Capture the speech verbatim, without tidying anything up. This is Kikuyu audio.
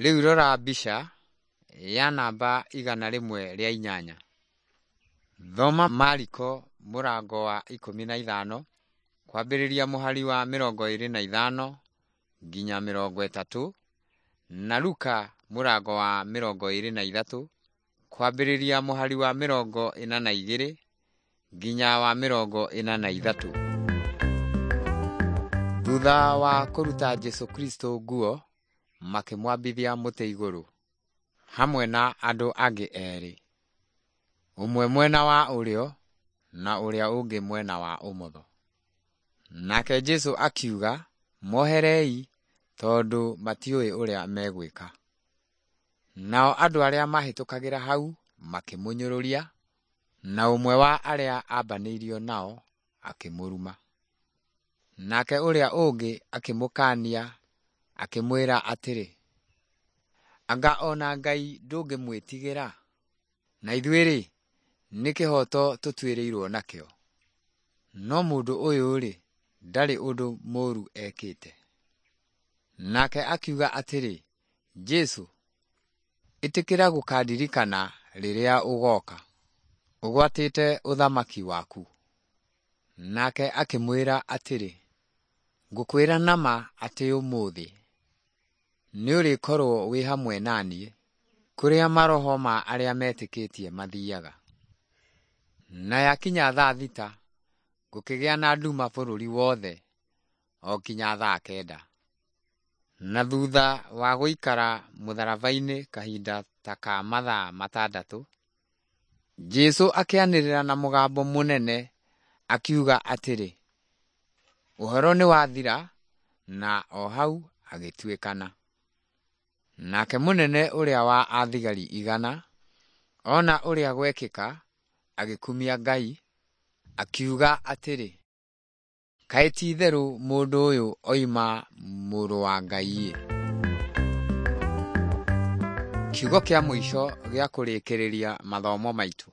Rĩu rora mbica ya namba igana rĩmwe rĩa inyanya. Thoma Mariko mũrango wa ikũmi na ithano kwambĩrĩria mũhari wa mĩrongo ĩrĩ na ithano nginya mĩrongo ĩtatũ na Luka mũrango wa mĩrongo ĩrĩ na ithatũ kwambĩrĩria mũhari wa mĩrongo ĩna na igĩrĩ nginya wa mĩrongo ĩna na ithatũ. Thutha wa kũruta Jesũ Kristo nguo, makĩmwambithia mũtĩ igũrũ, hamwe na andũ angĩ erĩ, ũmwe mwena wa ũrĩo na ũrĩa ũngĩ mwena wa ũmotho. Nake Jesũ akiuga, “Moherei, tondũ matiũĩ ũrĩa megwĩka.” Nao andũ arĩa maahĩtũkagĩra hau makĩmũnyũrũria, na ũmwe wa arĩa aambanĩirio nao akĩmũruma. Nake ũrĩa ũngĩ akĩmũkaania akĩmwĩra atĩrĩ, “Anga o na Ngai ndũngĩmwĩtigĩra? Na ithuĩ-rĩ, nĩ kĩhooto tũtuĩrĩirwo nakĩo. No mũndũ ũyũ-rĩ, ndarĩ ũndũ mũũru ekĩte.” Nake akiuga atĩrĩ, “Jesũ, ĩtĩkĩra gũkandirikana rĩrĩa ũgooka, ũgwatĩte ũthamaki waku.” Nake akĩmwĩra atĩrĩ, “Ngũkwĩra na ma atĩ ũmũthĩ nĩũrĩkorwo wĩ hamwe na niĩ kũrĩa maroho ma arĩa metĩkĩtie mathiiaga.” Na yakinya thaa thita, gũkĩgĩa na nduma bũrũri wothe o kinya thaa kenda. Na thutha wa gũikara mũtharaba-inĩ kahinda ta ka mathaa matandatũ, Jesũ akĩanĩrĩra na mũgambo mũnene akiuga atĩrĩ, “Ũhoro nĩwathira,” na o hau agĩtuĩkana. Nake mũnene ũrĩa wa athigari igana ona ũrĩa gwekĩka, agĩkumia Ngai, akiuga atĩrĩ, “Kaĩ ti-itherũ mũndũ ũyũ oima Mũrũ wa Ngai-ĩ!” Kiugo kĩa mũico gĩa kũrĩkĩrĩria mathomo maitũ.